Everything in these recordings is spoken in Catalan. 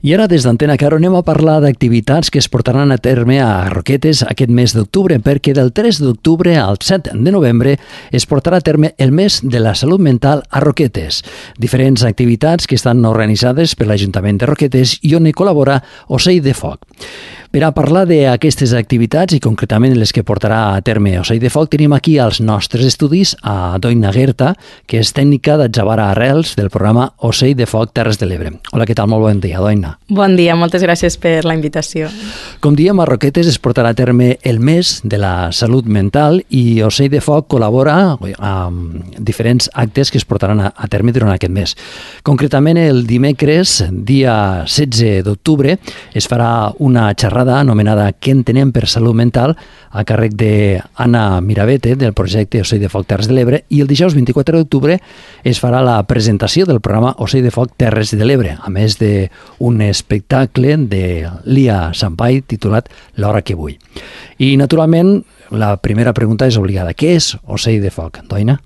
I ara, des d'Antena Caro, anem a parlar d'activitats que es portaran a terme a Roquetes aquest mes d'octubre, perquè del 3 d'octubre al 7 de novembre es portarà a terme el mes de la salut mental a Roquetes. Diferents activitats que estan organitzades per l'Ajuntament de Roquetes i on hi col·labora Ocell de Foc. Per a parlar d'aquestes activitats i concretament les que portarà a terme Ocell de Foc, tenim aquí als nostres estudis a Doina Guerta, que és tècnica d'Atzavara Arrels del programa Ocell de Foc Terres de l'Ebre. Hola, què tal? Molt bon dia, Doina. Bon dia, moltes gràcies per la invitació. Com diem, a Roquetes es portarà a terme el mes de la salut mental i Ocell de Foc col·labora amb diferents actes que es portaran a terme durant aquest mes. Concretament, el dimecres, dia 16 d'octubre, es farà una xerrada anomenada Què entenem per salut mental a càrrec d'Anna Mirabete del projecte Ocell de Foc Terres de l'Ebre, i el dijous 24 d'octubre es farà la presentació del programa Ocell de Foc Terres de l'Ebre, a més d'un espectacle de Lia Sampai titulat L'hora que vull. I naturalment la primera pregunta és obligada. Què és Ocell de Foc, Doina?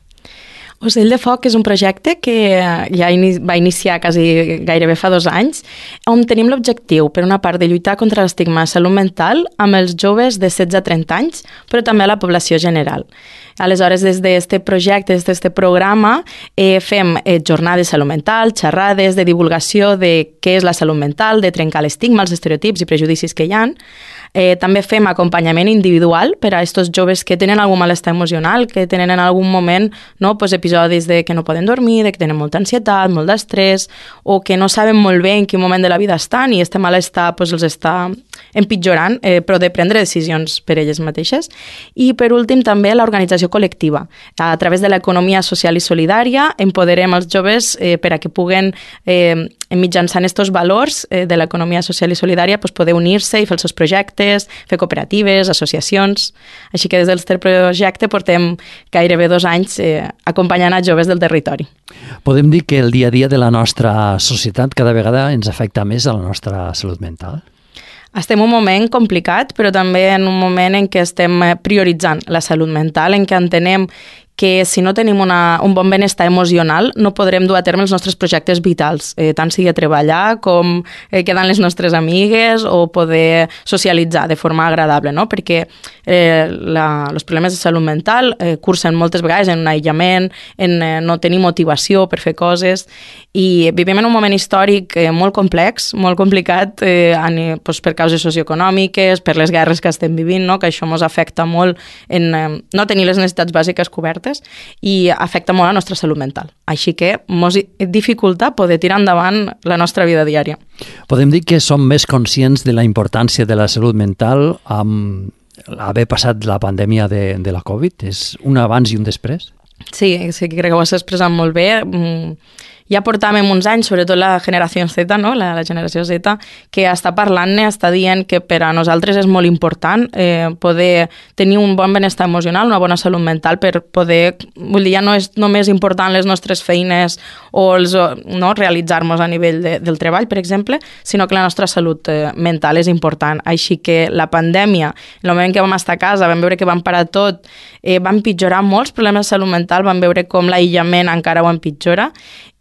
Ocell de Foc és un projecte que ja va iniciar gairebé fa 2 anys, on tenim l'objectiu, per una part, de lluitar contra l'estigma de salut mental amb els joves de 16 a 30 anys, però també a la població general. Aleshores, des d'aquest projecte, des d'aquest programa, fem jornades de salut mental, xerrades de divulgació de què és la salut mental, de trencar l'estigma, els estereotips i prejudicis que hi ha. També fem acompanyament individual per a aquests joves que tenen algun malestar emocional, que tenen en algun moment episodis de que no poden dormir, de que tenen molta ansietat, molt d'estrès, o que no saben molt bé en quin moment de la vida estan i aquest malestar els està empitjorant, però de prendre decisions per elles mateixes. I per últim també l'organització col·lectiva. A través de l'economia social i solidària empoderem els joves per a que puguen, mitjançant aquests valors de l'economia social i solidària, poder unir-se i fer els seus projectes, fer cooperatives, associacions. Així que des del projecte portem gairebé 2 anys acompanyant a joves del territori. Podem dir que el dia a dia de la nostra societat cada vegada ens afecta més a la nostra salut mental? Estem en un moment complicat, però també en un moment en què estem prioritzant la salut mental, en què entenem que si no tenim un bon benestar emocional no podrem dur a terme els nostres projectes vitals, tant sigui a treballar com quedar amb les nostres amigues o poder socialitzar de forma agradable, no? Perquè els problemes de salut mental cursen moltes vegades en un aïllament, en no tenir motivació per fer coses, i vivim en un moment històric molt complex, molt complicat per causes socioeconòmiques, per les guerres que estem vivint, no? Que això ens afecta molt en no tenir les necessitats bàsiques cobertes i afecta molt la nostra salut mental. Així que ens dificulta poder tirar endavant la nostra vida diària. Podem dir que som més conscients de la importància de la salut mental amb haver passat la pandèmia de la Covid? És un abans i un després? Sí, crec que ho has expressat molt bé. Ja portàvem uns anys, sobretot la generació Z, no? La generació Z, que està parlant-ne, està dient que per a nosaltres és molt important poder tenir un bon benestar emocional, una bona salut mental per poder, ja no és només important les nostres feines o realitzar-nos a nivell del treball, per exemple, sinó que la nostra salut mental és important. Així que la pandèmia, en el moment que vam estar a casa, vam veure que vam parar tot, van empitjorar molts problemes de salut mental, vam veure com l'aïllament encara ho empitjora,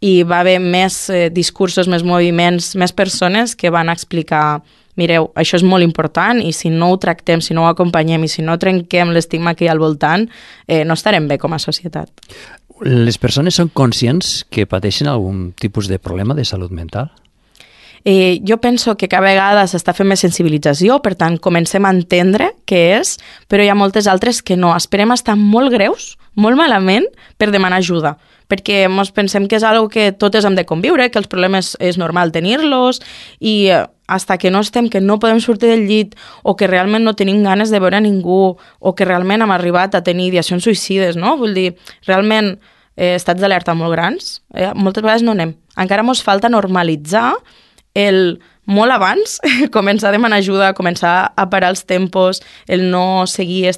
i va haver més discursos, més moviments, més persones que van explicar: mireu, això és molt important i si no ho tractem, si no ho acompanyem i si no trenquem l'estigma que hi ha al voltant, no estarem bé com a societat. Les persones són conscients que pateixen algun tipus de problema de salut mental? Jo penso que cada vegada s'està fent més sensibilització, per tant, comencem a entendre què és, però hi ha moltes altres que no. Esperem estar molt greus, molt malament, per demanar ajuda, perquè ens pensem que és una que totes hem de conviure, que els problemes és normal tenir-los, i hasta que no estem, que no podem sortir del llit, o que realment no tenim ganes de veure ningú, o que realment hem arribat a tenir ideacions suïcides, no? Vull dir, realment estats d'alerta molt grans, moltes vegades no anem. Encara ens falta normalitzar el molt abans, començar a demanar ajuda, començar a parar els tempos, el no seguir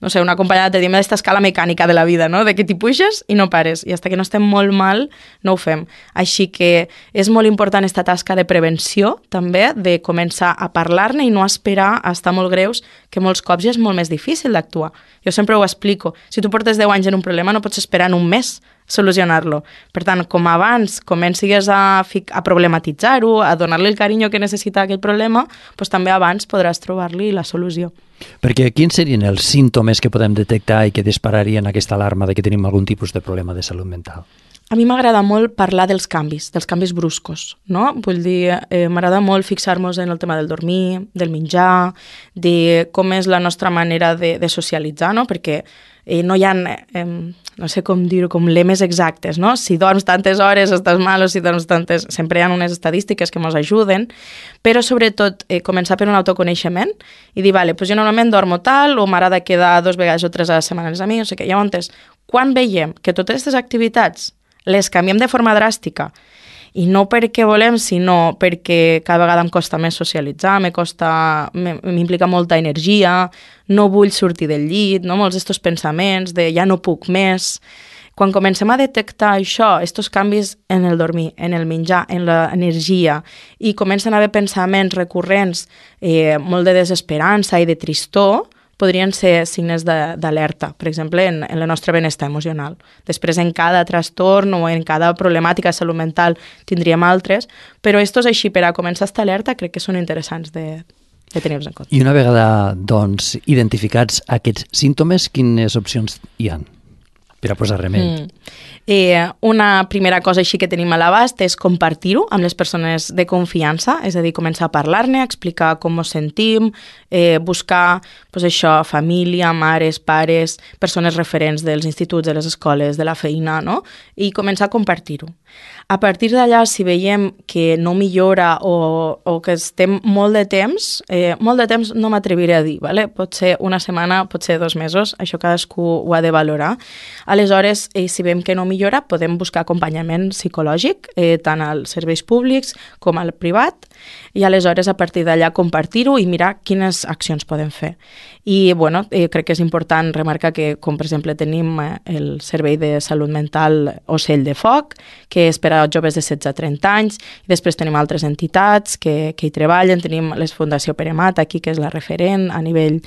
una acompanyada, te diem, d'esta escala mecànica de la vida, no? De que t'hi puges i no pares, i fins que no estem molt mal no ho fem. Així que és molt important aquesta tasca de prevenció, també, de començar a parlar-ne i no esperar a estar molt greus, que molts cops ja és molt més difícil d'actuar. Jo sempre ho explico. Si tu portes 10 anys en un problema, no pots esperar en un mes solucionar-lo. Per tant, com abans comencis a problematitzar-ho, a donar-li el carinyo que necessita aquell problema, doncs també abans podràs trobar-li la solució. Perquè quins serien els símptomes que podem detectar i que dispararien aquesta alarma de que tenim algun tipus de problema de salut mental? A mi m'agrada molt parlar dels canvis bruscos, no? Vull dir, m'agrada molt fixar-nos en el tema del dormir, del menjar, de com és la nostra manera de socialitzar, no? Perquè no hi ha, no sé com dir-ho, com lemes exactes, no? Si dorms tantes hores estàs mal o si dorms tantes... Sempre hi ha unes estadístiques que ens ajuden, però sobretot començar per un autoconeixement i dir, vale, doncs jo normalment dormo tal o m'agrada quedar 2 vegades o 3 a la setmana amb els amics, no sé què. Llavors, quan veiem que totes aquestes activitats les canviem de forma dràstica, i no perquè volem, sinó perquè cada vegada em costa més socialitzar, m'implica molta energia, no vull sortir del llit, no? Molts d'estos pensaments de ja no puc més. Quan comencem a detectar això, estos canvis en el dormir, en el menjar, en l'energia, i comencen a haver pensaments recurrents, molt de desesperança i de tristor, podrien ser signes d'alerta, per exemple, en el nostre benestar emocional. Després, en cada trastorn o en cada problemàtica de salut mental tindríem altres, però estos així, per a començar a estar alerta, crec que són interessants de tenir-los en compte. I una vegada, doncs, identificats aquests símptomes, quines opcions hi ha per a posar remei? Una primera cosa així que tenim a l'abast és compartir-ho amb les persones de confiança, és a dir, començar a parlar-ne, explicar com ens sentim, buscar família, mares, pares, persones referents dels instituts, de les escoles, de la feina, no? I començar a compartir-ho. A partir d'allà, si veiem que no millora o que estem molt de temps no m'atreviré a dir, ¿vale? Pot ser una setmana, pot ser 2 mesos, això cadascú ho ha de valorar. Aleshores, si veiem que no millora, podem buscar acompanyament psicològic, tant als serveis públics com al privat, i aleshores a partir d'allà compartir-ho i mirar quines accions podem fer. I crec que és important remarcar que, com per exemple tenim el Servei de Salut Mental Ocell de Foc, que és per a joves de 16 a 30 anys, i després tenim altres entitats que hi treballen, tenim la Fundació Pere Mat aquí, que és la referent a nivell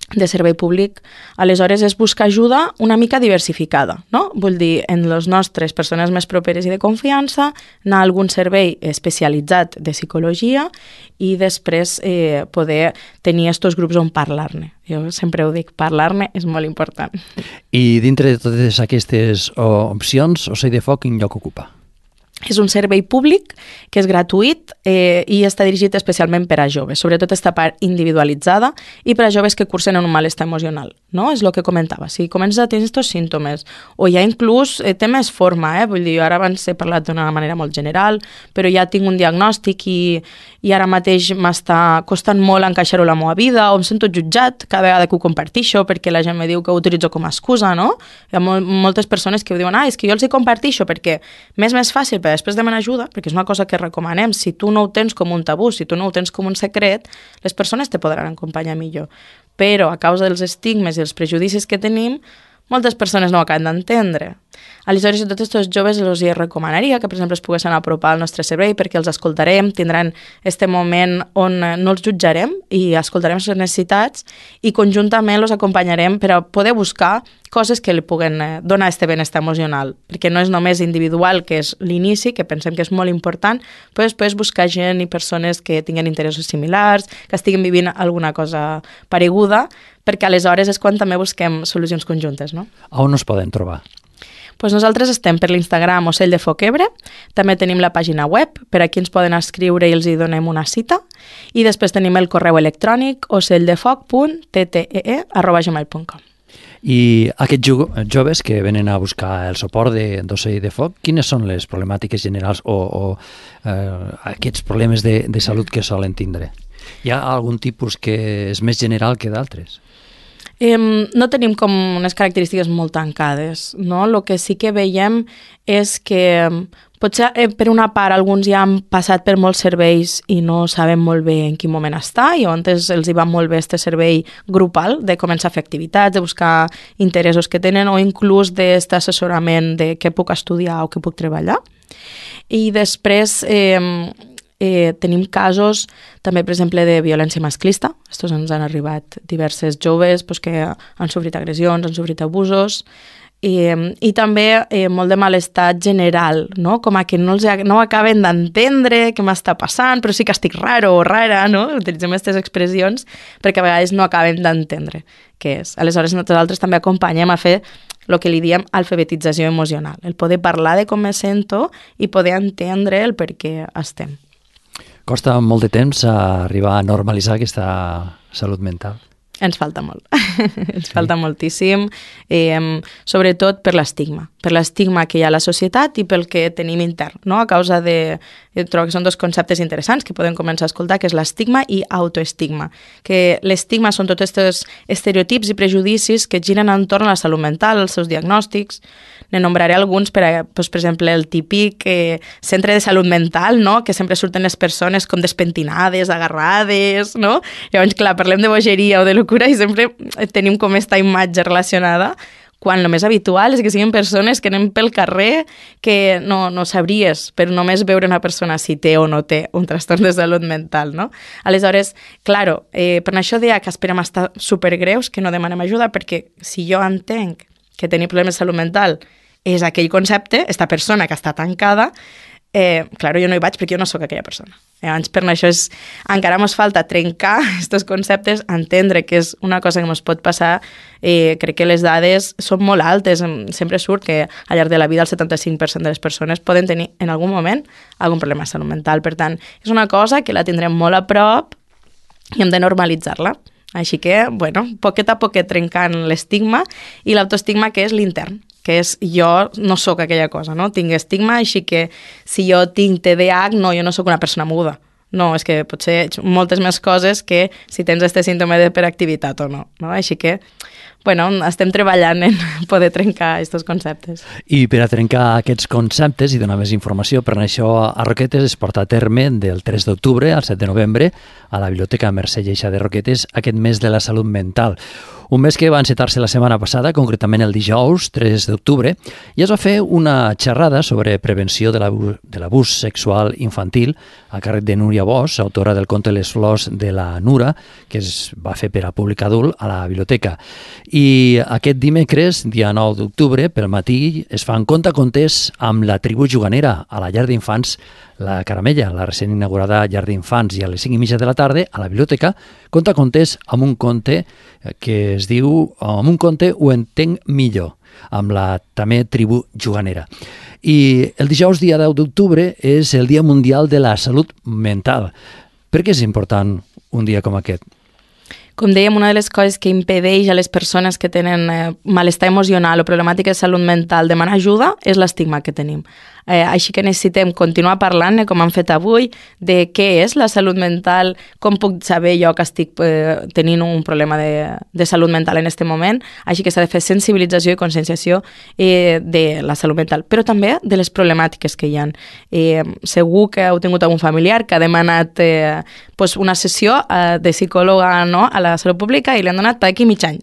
de servei públic. Aleshores és buscar ajuda una mica diversificada, no? Vull dir, en les nostres persones més properes i de confiança, anar a algun servei especialitzat de psicologia i després poder tenir estos grups on parlar-ne. Jo sempre ho dic, parlar-ne és molt important. I dintre de totes aquestes opcions, Ocell de Foc quin lloc ocupa? És un servei públic que és gratuït i està dirigit especialment per a joves, sobretot esta part individualitzada i per a joves que cursen en un malestar emocional, no? És el que comentava, si comences a tenir aquests símptomes o ja inclús té més forma, vull dir, ara abans he parlat d'una manera molt general, però ja tinc un diagnòstic i ara mateix m'està costant molt encaixar-ho a la meva vida o em sento jutjat cada vegada que ho compartixo perquè la gent me diu que ho utilitzo com a excusa, no? Hi ha moltes persones que ho diuen, és que jo els hi compartixo perquè m'és més fàcil per després demanar ajuda, perquè és una cosa que recomanem. Si tu no ho tens com un tabú, si tu no ho tens com un secret, les persones te podran acompanyar millor. Però a causa dels estigmes i els prejudicis que tenim, moltes persones no ho acaben d'entendre. Aleshores, a tots aquests joves els recomanaria que, per exemple, es poguessin apropar al nostre servei perquè els escoltarem, tindran este moment on no els jutjarem i escoltarem les necessitats i conjuntament els acompanyarem per a poder buscar coses que li puguen donar este benestar emocional, perquè no és només individual, que és l'inici, que pensem que és molt important, però després buscar gent i persones que tinguen interessos similars, que estiguin vivint alguna cosa pareguda, perquè aleshores és quan també busquem solucions conjuntes, no? On es poden trobar? Pues nosaltres estem per l'Instagram Ocell de Foc Ebre, també tenim la pàgina web, per a qui ens poden escriure i els hi donem una cita, i després tenim el correu electrònic ocelldefocttee@gmail.com. I aquests joves que venen a buscar el suport d'Ocell de Foc, quines són les problemàtiques generals o aquests problemes de salut que solen tindre? Hi ha algun tipus que és més general que d'altres? No tenim com unes característiques molt tancades, no? El que sí que veiem és que potser per una part alguns ja han passat per molts serveis i no saben molt bé en quin moment està i on els hi va molt bé este servei grupal de començar a fer activitats, de buscar interessos que tenen o inclús d'aquest assessorament de què puc estudiar o què puc treballar. I després tenim casos també, per exemple, de violència masclista. Estos ens han arribat diverses joves que han sofrit agressions, han sofrit abusos, I també molt de malestar general, no? Com a que no acaben d'entendre què m'està passant, però sí que estic raro o rara, no? Utilitzem aquestes expressions perquè a vegades no acaben d'entendre què és. Aleshores, nosaltres també acompanyem a fer el que li diem alfabetització emocional, el poder parlar de com me sento i poder entendre el per què estem. Costa molt de temps arribar a normalitzar aquesta salut mental? Ens falta molt, ens falta moltíssim, sobretot per l'estigma que hi ha a la societat i pel que tenim intern, no? A causa de... Jo trobo que són dos conceptes interessants que podem començar a escoltar, que és l'estigma i autoestigma. Que l'estigma són tots aquests estereotips i prejudicis que giren entorn a la salut mental, els seus diagnòstics. Ne nombraré alguns, per exemple, el típic centre de salut mental, no? Que sempre surten les persones com despentinades, agarrades, no? Llavors, clar, parlem de bogeria o de locura i sempre tenim com aquesta imatge relacionada, quan el més habitual és que siguin persones que anem pel carrer que no sabries, però només veure una persona si té o no té un trastorn de salut mental, no? Aleshores, claro, per això deia que esperem estar supergreus, que no demanem ajuda, perquè si jo entenc que tenir problemes de salut mental és aquell concepte, esta persona que està tancada, claro, jo no hi vaig perquè jo no sóc aquella persona. Llavors, per això encara ens falta trencar aquests conceptes, entendre que és una cosa que ens pot passar. Crec que les dades són molt altes. Sempre surt que al llarg de la vida el 75% de les persones poden tenir en algun moment algun problema de salut mental. Per tant, és una cosa que la tindrem molt a prop i hem de normalitzar-la. Així que, bueno, poquet a poquet trencant l'estigma i l'autoestigma, que és l'intern, que és jo no sóc aquella cosa, no? Tinc estigma, així que si jo tinc TDAH, no, jo no sóc una persona muda. No, és que pot ser moltes més coses que si tens aquest símptoma d'hiperactivitat o no, no? Així que, bueno, estem treballant en poder trencar aquests conceptes. I per a trencar aquests conceptes i donar més informació, per això a Roquetes es porta a terme del 3 d'octubre al 7 de novembre a la Biblioteca Mercè Lleixa de Roquetes aquest mes de la salut mental. Un mes que va encetar-se la setmana passada, concretament el dijous 3 d'octubre, i es va fer una xerrada sobre prevenció de l'abús sexual infantil a càrrec de Núria Bosch, autora del conte Les flors de la Nura, que es va fer per a públic adult a la biblioteca. I aquest dimecres, dia 9 d'octubre, pel matí, es fan contes amb la tribu juganera a la llar d'infants La Caramella, la recent inaugurada llar d'infants, i a les 5:30 de la tarda a la biblioteca contes amb un conte que es diu "Amb un conte ho entenc millor", amb la també tribu juganera. I el dijous, dia 10 d'octubre, és el Dia Mundial de la Salut Mental. Per què és important un dia com aquest? Com dèiem, una de les coses que impedeix a les persones que tenen malestar emocional o problemàtica de salut mental demanar ajuda és l'estigma que tenim. Així que necessitem continuar parlant, com hem fet avui, de què és la salut mental, com puc saber jo que estic tenint un problema de salut mental en aquest moment. Així que s'ha de fer sensibilització i conscienciació de la salut mental, però també de les problemàtiques que hi ha. Segur que heu tingut algun familiar que ha demanat una sessió de psicòloga, no, a la salut pública i li han donat d'aquí mig any.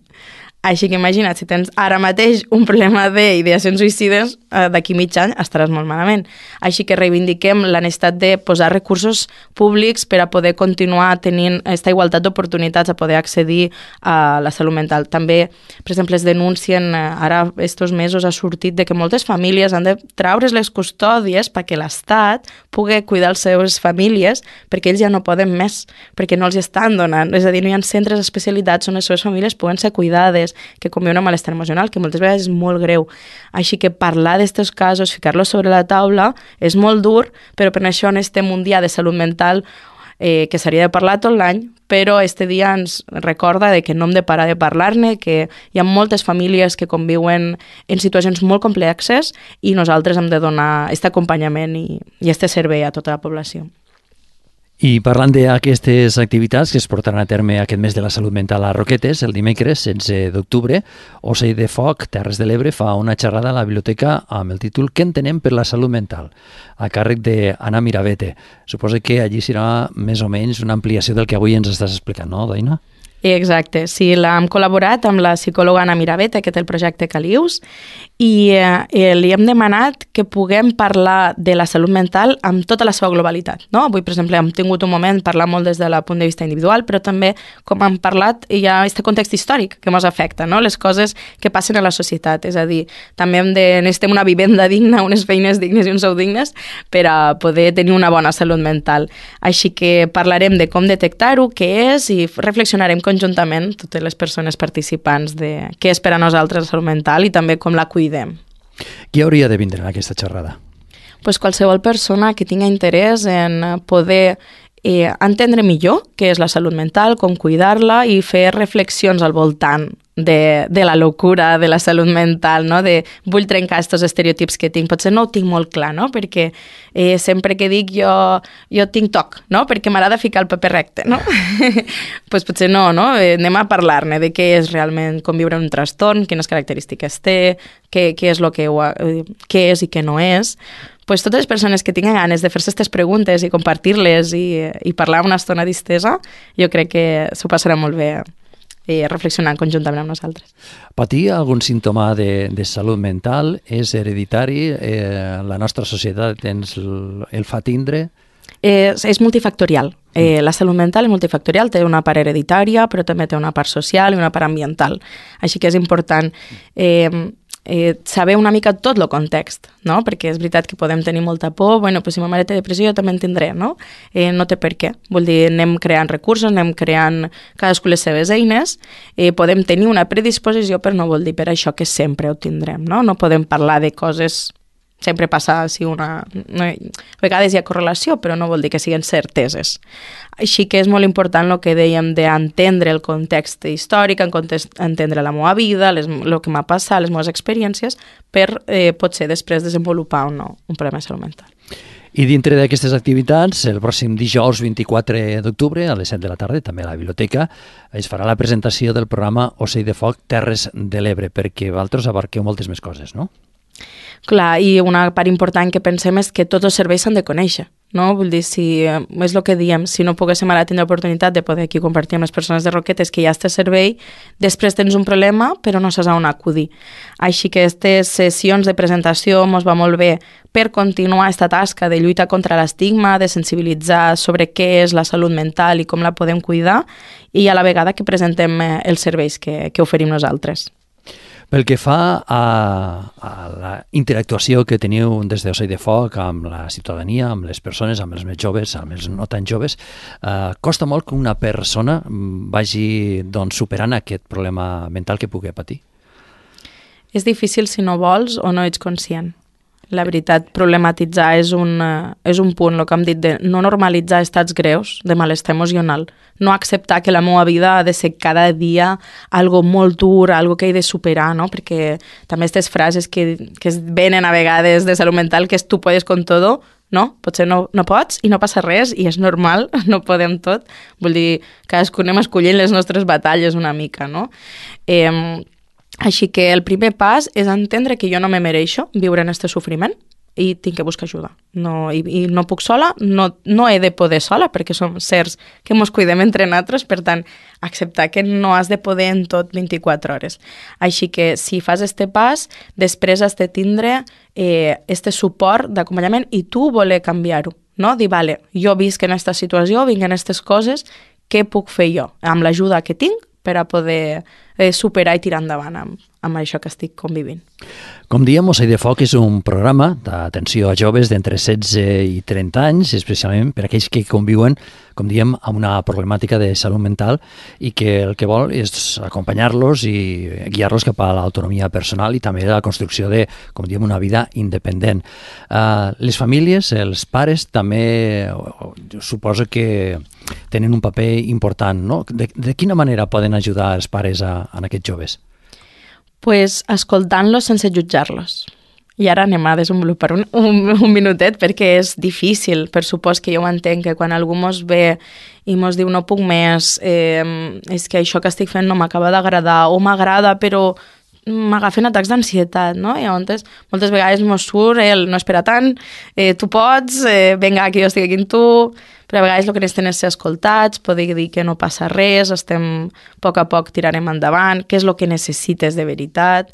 Així que imagina't, si tens ara mateix un problema d'ideacions suïcides, d'aquí mig any estaràs molt malament. Així que reivindiquem la necessitat de posar recursos públics per a poder continuar tenint aquesta igualtat d'oportunitats a poder accedir a la salut mental. També, per exemple, es denuncien, ara estos mesos ha sortit de que moltes famílies han de traure's les custòdies perquè l'Estat pugui cuidar les seves famílies perquè ells ja no poden més, perquè no els estan donant. És a dir, no hi ha centres especialitzats on les seves famílies puguen ser cuidades, que conviuen amb malestar emocional, que moltes vegades és molt greu. Així que parlar d'aquests casos, ficar-los sobre la taula, és molt dur, però per això estem un dia de salut mental que s'hauria de parlar tot l'any, però este dia ens recorda de que no hem de parar de parlar-ne, que hi ha moltes famílies que conviuen en situacions molt complexes i nosaltres hem de donar aquest acompanyament i aquest servei a tota la població. I parlant d'aquestes activitats que es portaran a terme aquest mes de la salut mental a Roquetes, el dimecres 16 d'octubre, Ocell de Foc, Terres de l'Ebre, fa una xerrada a la biblioteca amb el títol "Què entenem per la salut mental?", a càrrec d'Anna Miravete. Suposo que allí serà més o menys una ampliació del que avui ens estàs explicant, no, Daina? Exacte, sí, hem col·laborat amb la psicòloga Anna Mirabete, que té el projecte Calius, i li hem demanat que puguem parlar de la salut mental amb tota la seva globalitat. No? Avui, per exemple, hem tingut un moment parlar molt des del punt de vista individual, però també, com hem parlat, hi ha aquest context històric que ens afecta, no? Les coses que passen a la societat. És a dir, també necessitem una vivenda digna, unes feines dignes i uns sous dignes per a poder tenir una bona salut mental. Així que parlarem de com detectar-ho, què és, i reflexionarem conjuntament totes les persones participants de què és per a nosaltres la salut mental i també com la cuidem. Qui hauria de vindre en aquesta xerrada? Pues qualsevol persona que tingui interès en poder entendre millor què és la salut mental, com cuidar-la i fer reflexions al voltant de la locura de la salut mental, no? De vull trencar aquests estereotips que tinc. Potser no ho tinc molt clar, no? Perquè sempre que dic jo tinc TOC, no? Perquè m'agrada ficar el paper recte, no? Pues potser no, no? Anem a parlar-ne de què és realment conviure en un trastorn, quines característiques té, què és què és i què no és. Pues totes les persones que tinguin ganes de fer-se aquestes preguntes i compartir-les i parlar una estona distesa, jo crec que s'ho passarà molt bé reflexionant conjuntament amb nosaltres. Patir algun símptoma de salut mental és hereditari? La nostra societat el fa tindre? És multifactorial. La salut mental és multifactorial, té una part hereditària, però també té una part social i una part ambiental. Així que és important saber una mica tot el context, no? Perquè és veritat que podem tenir molta por, bueno, pues si ma mare té depressió jo també en tindré, no? No té per què. Vull dir, anem creant recursos, anem creant cadascú les seves eines, podem tenir una predisposició, però no vol dir per això que sempre ho tindrem, no? No podem parlar de coses. Sempre passa si a vegades hi ha correlació, però no vol dir que siguin certeses. Així que és molt important el que dèiem d'entendre el context històric, entendre la meva vida, el que m'ha passat, les meves experiències, per potser després desenvolupar o no un problema de salut mental. I dintre d'aquestes activitats, el pròxim dijous 24 d'octubre a les 7 de la tarda, també a la biblioteca, es farà la presentació del programa Ocell de Foc Terres de l'Ebre, perquè vosaltres abarqueu moltes més coses, no? Clar, i una part important que pensem és que tots els serveis s'han de conèixer, no? Vull dir, és el que diem, si no poguéssim ara tenir l'oportunitat de poder aquí compartir amb les persones de Roquetes que hi ha aquest servei, després tens un problema però no saps on acudir. Així que aquestes sessions de presentació ens va molt bé per continuar aquesta tasca de lluita contra l'estigma, de sensibilitzar sobre què és la salut mental i com la podem cuidar, i a la vegada que presentem els serveis que oferim nosaltres. Pel que fa a la interactuació que teniu des d'Ocell de Foc amb la ciutadania, amb les persones, amb els més joves, amb els no tan joves, costa molt que una persona vagi superant aquest problema mental que pugui patir? És difícil si no vols o no ets conscient. La veritat, problematitzar és un punt, el que hem dit de no normalitzar estats greus de malestar emocional, no acceptar que la meva vida ha de ser cada dia algo molt dur, algo que he de superar, no? Perquè també aquestes frases que es venen a vegades de salut mental, que és tu puedes con todo, no? Potser no pots i no passa res i és normal, no podem tot. Vull dir, cadascú anem escollint les nostres batalles una mica, no? Així que el primer pas és entendre que jo no me mereixo viure en aquest sofriment i tinc que buscar ajuda. I no puc sola, no he de poder sola, perquè som certs que ens cuidem entre nosaltres, per tant, acceptar que no has de poder en tot 24 hores. Així que si fas este pas, després has de tindre este suport d'acompanyament i tu voler canviar-ho, no? Dir, vale, jo visc en aquesta situació, vinc en aquestes coses, què puc fer jo amb l'ajuda que tinc per a poder superar i tirar endavant amb això que estic convivint. Com diem, Ocell de Foc és un programa d'atenció a joves d'entre 16 i 30 anys, especialment per aquells que conviuen, com diem, amb una problemàtica de salut mental i que el que vol és acompanyar-los i guiar-los cap a l'autonomia personal i també la construcció de, com diem, una vida independent. Les famílies, els pares, també suposo que tenen un paper important, no? De quina manera poden ajudar els pares en aquests joves? Pues escoltant-los sense jutjar-los. I ara anem a desenvolupar un minutet perquè és difícil. Per supost que jo ho entenc, que quan algú mos ve i mos diu no puc més, és que això que estic fent no m'acaba d'agradar o m'agrada però m'agafen atacs d'ansietat, no? I llavors, moltes vegades mos surt el no espera tant, tu pots, vinga, que jo estic aquí amb tu, però a vegades el que necessitem és ser escoltats, poder dir que no passa res, estem a poc tirarem endavant, què és el que necessites de veritat,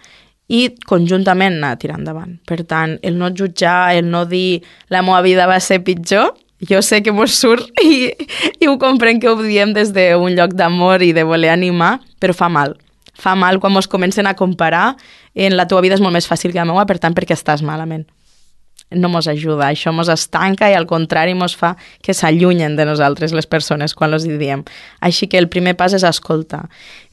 i conjuntament anar tirant endavant. Per tant, el no jutjar, el no dir la meva vida va ser pitjor, jo sé que mos surt i ho comprenc que ho diem des d'un lloc d'amor i de voler animar, però fa mal. Fa mal quan mos comencen a comparar en la teva vida és molt més fàcil que la meva, per tant, perquè estàs malament. No mos ajuda, això mos estanca i al contrari mos fa que s'allunyen de nosaltres les persones quan els diem. Així que el primer pas és escoltar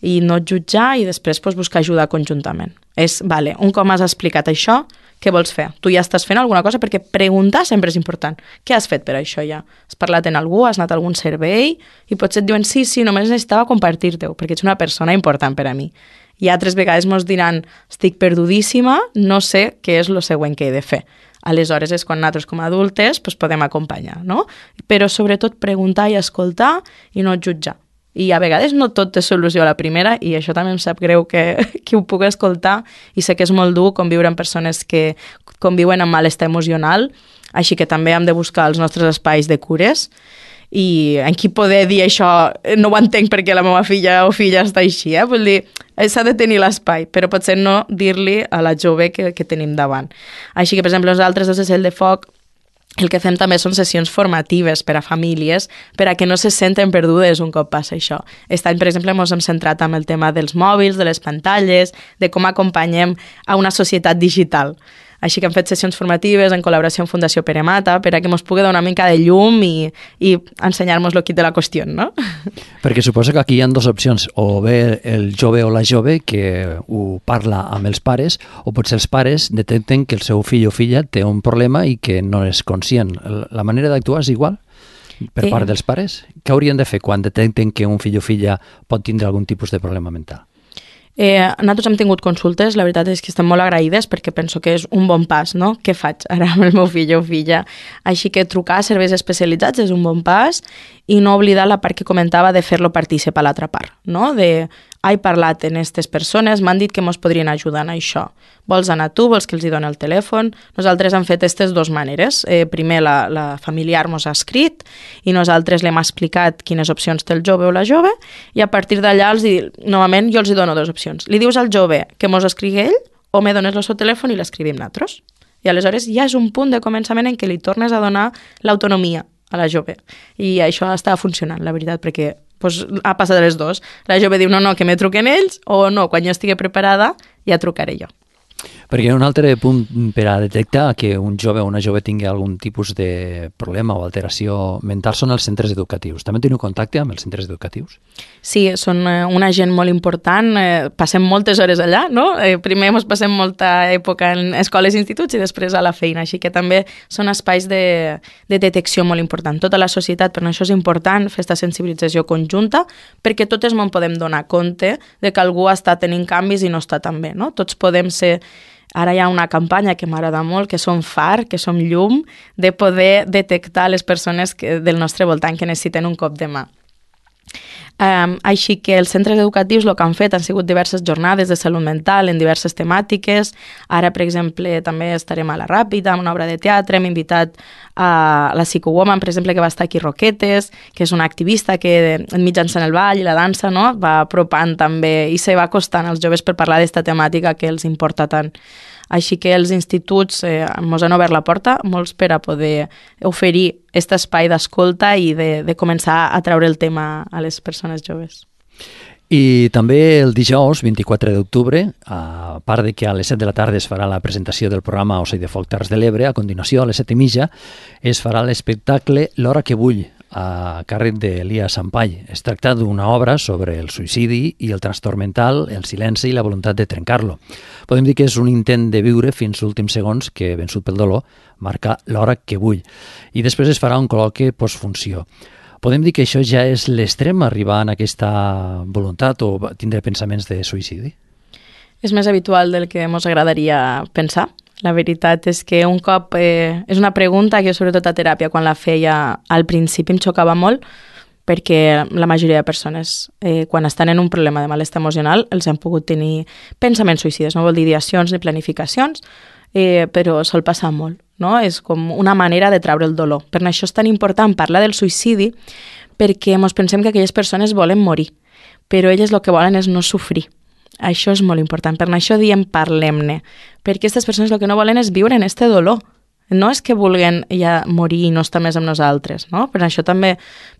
i no jutjar i després buscar ajuda conjuntament. Vale, un cop m'has explicat això, què vols fer? Tu ja estàs fent alguna cosa? Perquè preguntar sempre és important. Què has fet per això ja? Has parlat amb algú? Has anat a algun servei? I potser et diuen sí, només necessitava compartir-te-ho, perquè ets una persona important per a mi. I altres vegades mos diran estic perdudíssima, no sé què és el següent que he de fer. Aleshores és quan nosaltres com a adultes podem acompanyar, no? Però sobretot preguntar i escoltar i no jutjar. I a vegades no tot té solució a la primera i això també em sap greu que ho puc escoltar i sé que és molt dur conviure amb persones que conviuen amb malestar emocional, així que també hem de buscar els nostres espais de cures i en qui poder dir això no ho entenc perquè la meva filla o filla està així, vull dir, s'ha de tenir l'espai, però potser no dir-li a la jove que tenim davant. Així que, per exemple, nosaltres des de Cel de Foc el que fem també són sessions formatives per a famílies, per a que no se senten perdudes un cop passa això. Aquest any, per exemple, ens hem centrat en el tema dels mòbils, de les pantalles, de com acompanyem a una societat digital. Així que hem fet sessions formatives en col·laboració amb Fundació Pere Mata per a que ens pugui donar una mica de llum i ensenyar-nos el quid de la qüestió, no? Perquè suposo que aquí hi ha dues opcions, o bé el jove o la jove que ho parla amb els pares, o potser els pares detecten que el seu fill o filla té un problema i que no és conscient. La manera d'actuar és igual per part dels pares? Què haurien de fer quan detecten que un fill o filla pot tindre algun tipus de problema mental? Nosaltres hem tingut consultes, la veritat és que estem molt agraïdes perquè penso que és un bon pas, no? Què faig ara amb el meu fill o filla? Així que trucar a serveis especialitzats és un bon pas i no oblidar la part que comentava de fer-lo partícip a l'altra part, no? He parlat amb aquestes persones, m'han dit que ens podrien ajudar en això. Vols anar tu? Vols que els doni el telèfon? Nosaltres hem fet aquestes dues maneres. Primer la familiar ens ha escrit i nosaltres l'hem explicat quines opcions té el jove o la jove i a partir d'allà, novament, jo els dono dues opcions. Li dius al jove que ens escrigui ell o me dones el seu telèfon i l'escrivim nosaltres. I aleshores ja és un punt de començament en què li tornes a donar l'autonomia a la jove. I això està funcionant, la veritat, perquè ha passat les dues. La jove diu, no, que me truquen ells, o no, quan jo estigui preparada ja trucaré jo. Perquè un altre punt per a detectar que un jove o una jove tingui algun tipus de problema o alteració mental són els centres educatius. També teniu contacte amb els centres educatius? Sí, són una gent molt important. Passem moltes hores allà, no? Primer ens passem molta època en escoles i instituts i després a la feina, així que també són espais de detecció molt important. Tota la societat, per això és important fer aquesta sensibilització conjunta, perquè totes no en podem donar compte de que algú està tenint canvis i no està tan bé, no? Tots podem ser... Ara hi ha una campanya que m'agrada molt, que som far, que som llum, de poder detectar les persones del nostre voltant que necessiten un cop de mà. Així que els centres educatius el que han fet han sigut diverses jornades de salut mental en diverses temàtiques. Ara, per exemple, també estarem a la Ràpida, amb una obra de teatre. Hem invitat a la Psychowoman, per exemple, que va estar aquí Roquetes, que és una activista que mitjançant el ball i la dansa, no, va apropant també i se va acostant als joves per parlar d'esta temàtica que els importa tant. Així que els instituts ens han obert la porta, molts per a poder oferir aquest espai d'escolta i de començar a treure el tema a les persones joves. I també el dijous, 24 d'octubre, a part de que a les 7 de la tarda es farà la presentació del programa Ocell de Foc Terres de l'Ebre, a continuació, a les 7:30, es farà l'espectacle L'hora que vull, a càrrec d'Elia Sampall. Es tracta d'una obra sobre el suïcidi i el trastorn mental, el silenci i la voluntat de trencar-lo. Podem dir que és un intent de viure fins als últims segons que, vençut pel dolor, marca l'hora que vull. I després es farà un col·loqui postfunció. Podem dir que això ja és l'extrem, arribar a aquesta voluntat o tindre pensaments de suïcidi? És més habitual del que ens agradaria pensar. La veritat és que un cop... és una pregunta que jo, sobretot a teràpia, quan la feia al principi em xocava molt, perquè la majoria de persones, quan estan en un problema de malestar emocional, els han pogut tenir pensaments suïcides. No vol dir ideacions ni planificacions, però sol passar molt, no? És com una manera de treure el dolor. Per això és tan important parlar del suïcidi, perquè ens pensem que aquelles persones volen morir, però elles el que volen és no sofrir. Això és molt important. Per això diem parlem-ne, perquè aquestes persones el que no volen és viure en este dolor. No és que vulguin ja morir i no estar més amb nosaltres, no? Per això també,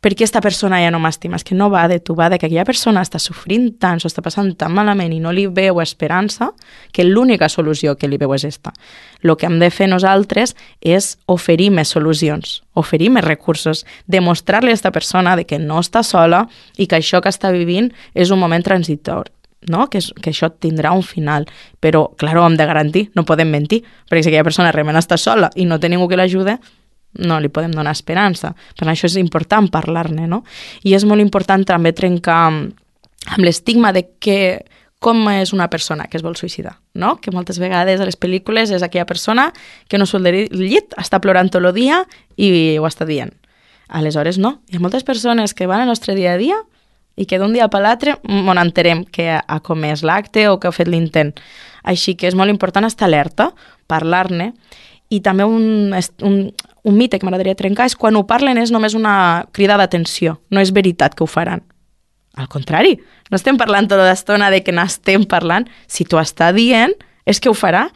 per què aquesta persona ja no m'estima? És que no va de tu, va de que aquella persona està sofrint tant, s'ho està passant tan malament i no li veu esperança, que l'única solució que li veu és esta. El que hem de fer nosaltres és oferir més solucions, oferir més recursos, demostrar-li a aquesta persona de que no està sola i que això que està vivint és un moment transitori. No? Que això tindrà un final, però, clar, ho hem de garantir, no podem mentir, perquè si aquella persona realment està sola i no té ningú que l'ajude, no li podem donar esperança. Per això és important parlar-ne, no? I és molt important també trencar amb l'estigma de com és una persona que es vol suïcidar, no? Que moltes vegades a les pel·lícules és aquella persona que no surt del llit, està plorant tot el dia i ho està dient. Aleshores, no. Hi ha moltes persones que van al nostre dia a dia i que d'un dia per l'altre on enterem que ha comès l'acte o que ha fet l'intent. Així que és molt important estar alerta, parlar-ne, i també un mite que m'agradaria trencar és quan ho parlen és només una crida d'atenció, no és veritat que ho faran. Al contrari, no estem parlant tota l'estona de que n'estem parlant, si t'ho està dient és que ho farà.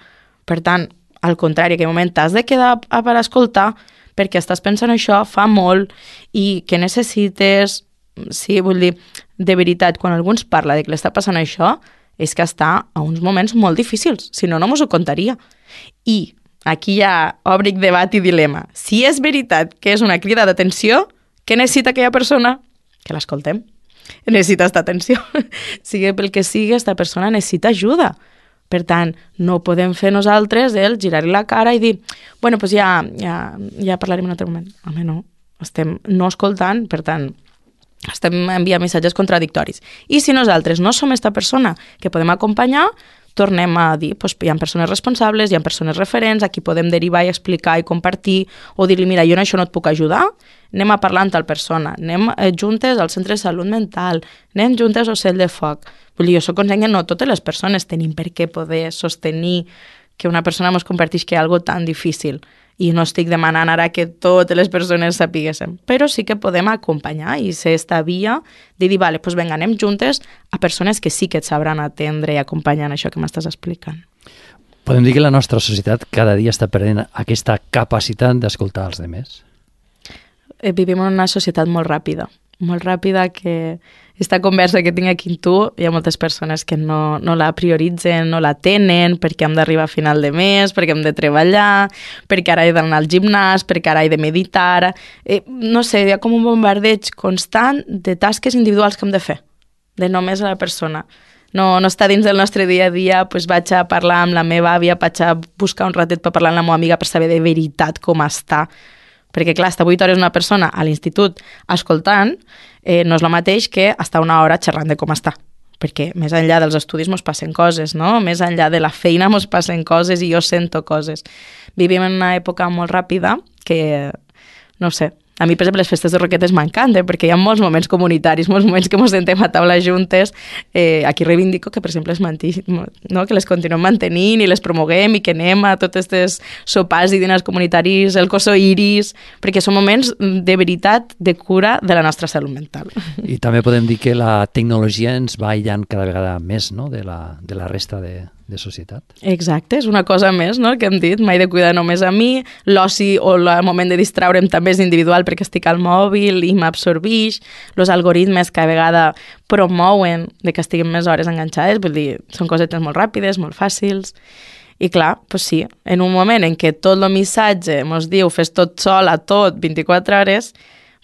Per tant, al contrari, en aquell moment t'has de quedar per escoltar perquè estàs pensant això, fa molt, i que necessites. Sí, vull dir, de veritat, quan algú ens parla de que l'està passant això, és que està a uns moments molt difícils, si no, no mos ho contaria. I aquí ja obric debat i dilema. Si és veritat que és una crida d'atenció, què necessita aquella persona? Que l'escoltem. Necessita esta atenció. Sigui pel que sigui, aquesta persona necessita ajuda. Per tant, no podem fer nosaltres el girar-li la cara i dir bueno, doncs ja parlarem en un altre moment. Home, no. Estem no escoltant, per tant, estem enviant missatges contradictoris. I si nosaltres no som aquesta persona que podem acompanyar, tornem a dir, doncs, hi ha persones responsables, hi ha persones referents, a qui podem derivar i explicar i compartir, o dir-li, mira, jo en això no et puc ajudar, anem a parlar amb tal persona, anem juntes al centre de salut mental, anem juntes al Ocell de Foc. Vull dir, jo soc conscient que no totes les persones tenim per què poder sostenir que una persona ens compartisca algo tan difícil. I no estic demanant ara que totes les persones sapiguéssim, però sí que podem acompanyar i ser esta via de dir, vale, doncs vinga, anem juntes a persones que sí que et sabran atendre i acompanyar en això que m'estàs explicant. Podem dir que la nostra societat cada dia està perdent aquesta capacitat d'escoltar els demés? Vivim en una societat molt ràpida que esta conversa que tinc aquí amb tu, hi ha moltes persones que no la prioritzen, no la tenen, perquè hem d'arribar a final de mes, perquè hem de treballar, perquè ara he d'anar al gimnàs, perquè ara he de meditar. No sé, hi ha com un bombardeig constant de tasques individuals que hem de fer, de només a la persona. No està dins del nostre dia a dia, doncs vaig a parlar amb la meva àvia, vaig a buscar un ratet per parlar amb la meva amiga per saber de veritat com està. Perquè, clar, estar 8 hores una persona a l'institut escoltant no és el mateix que estar una hora xerrant de com està. Perquè més enllà dels estudis mos passen coses, no? Més enllà de la feina mos passen coses i jo sento coses. Vivim en una època molt ràpida que, no sé, a mi, per exemple, les festes de Roquetes m'encanten perquè hi ha molts moments comunitaris, molts moments que ens sentem a taula juntes. Aquí reivindico que, per exemple, no? Que les continuem mantenint i les promoguem i que anem a tots aquests sopars i dinars comunitaris, el Coso Iris, perquè són moments de veritat de cura de la nostra salut mental. I també podem dir que la tecnologia ens va aïllant cada vegada més, no? de la resta de societat. Exacte, és una cosa més, no?, que hem dit, mai de cuidar només a mi, l'oci o el moment de distraure'm també és individual perquè estic al mòbil i m'absorbix, els algoritmes cada vegada promouen de que estiguem més hores enganxades, vull dir, són cosetes molt ràpides, molt fàcils, i clar, doncs sí, en un moment en què tot el missatge ens diu fes tot sol a tot 24 hores,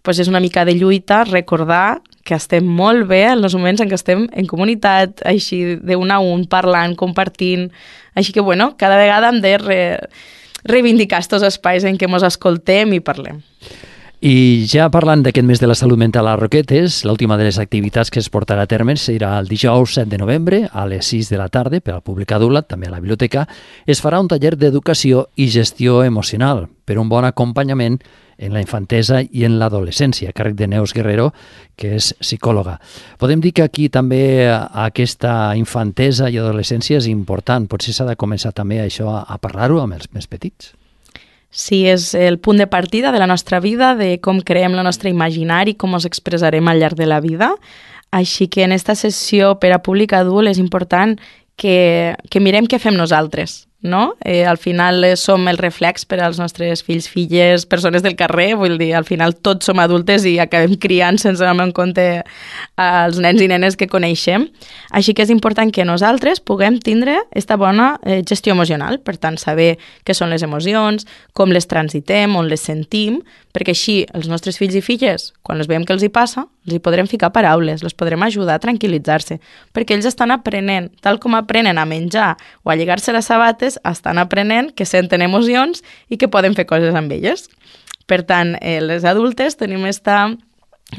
doncs és una mica de lluita recordar que estem molt bé en els moments en què estem en comunitat, així d'un a un, parlant, compartint. Així que, bueno, cada vegada hem de reivindicar aquests espais en què ens escoltem i parlem. I ja parlant d'aquest mes de la salut mental a Roquetes, l'última de les activitats que es portarà a terme serà el dijous 7 de novembre a les 6 de la tarda per al públic adult, també a la biblioteca. Es farà un taller d'educació i gestió emocional per un bon acompanyament en la infantesa i en l'adolescència, a càrrec de Neus Guerrero, que és psicòloga. Podem dir que aquí també aquesta infantesa i adolescència és important. Potser s'ha de començar també això a parlar-ho amb els més petits. Sí, és el punt de partida de la nostra vida, de com creem la nostra imaginari, com ens expressarem al llarg de la vida. Així que en esta sessió per a públic adult és important que mirem què fem nosaltres, no? Al final som el reflex per als nostres fills, filles, persones del carrer, vull dir, al final tots som adultes i acabem criant sense anar en compte els nens i nenes que coneixem. Així que és important que nosaltres puguem tindre aquesta bona gestió emocional, per tant, saber què són les emocions, com les transitem, on les sentim, perquè així els nostres fills i filles, quan els veiem que els hi passa, els hi podrem ficar paraules, els podrem ajudar a tranquil·litzar-se, perquè ells estan aprenent, tal com aprenen a menjar o a lligar-se les sabates, estan aprenent que senten emocions i que poden fer coses amb elles. Per tant, les adultes tenim aquesta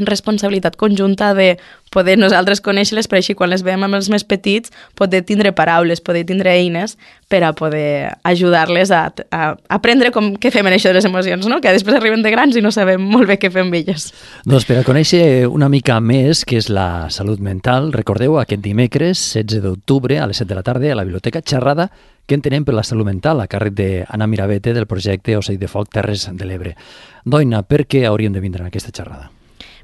responsabilitat conjunta de poder nosaltres conèixer-les, per així quan les veiem amb els més petits poder tindre paraules, poder tindre eines per a poder ajudar-les a aprendre què fem en això de les emocions, no? Que després arriben de grans i no sabem molt bé què fem amb elles. Doncs per a conèixer una mica més què és la salut mental, recordeu aquest dimecres 16 d'octubre a les 7 de la tarda a la Biblioteca Xerrada, què entenem per la salut mental, a càrrec d'Anna Mirabete del projecte Ocell de Foc Terres de l'Ebre. Doina, per què hauríem de vindre a aquesta xerrada?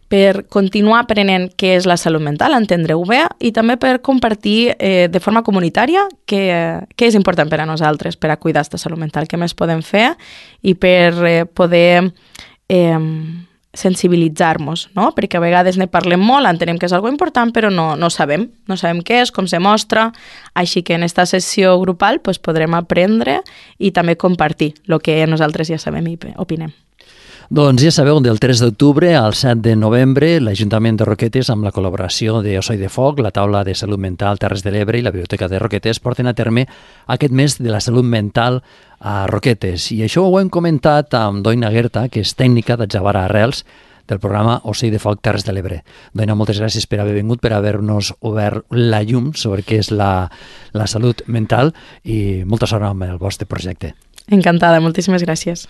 Per continuar aprenent què és la salut mental, entendre-ho bé, i també per compartir de forma comunitària què és important per a nosaltres, per a cuidar aquesta salut mental, què més podem fer i per poder sensibilitzar-nos, no? Perquè a vegades ne parlem molt, entenem que és algo important, però no sabem què és, com se mostra, així que en aquesta sessió grupal podrem aprendre i també compartir el que nosaltres ja sabem i opinem. Doncs ja sabeu, del 3 d'octubre al 7 de novembre, l'Ajuntament de Roquetes, amb la col·laboració d'Ocell de Foc, la Taula de Salut Mental Terres de l'Ebre i la Biblioteca de Roquetes porten a terme aquest mes de la salut mental a Roquetes. I això ho hem comentat amb Doina Guerta, que és tècnica d'Adjabar Arrels, del programa Ocell de Foc Terres de l'Ebre. Doina, moltes gràcies per haver vingut, per haver-nos obert la llum sobre què és la salut mental i molta sort amb el vostre projecte. Encantada, moltíssimes gràcies.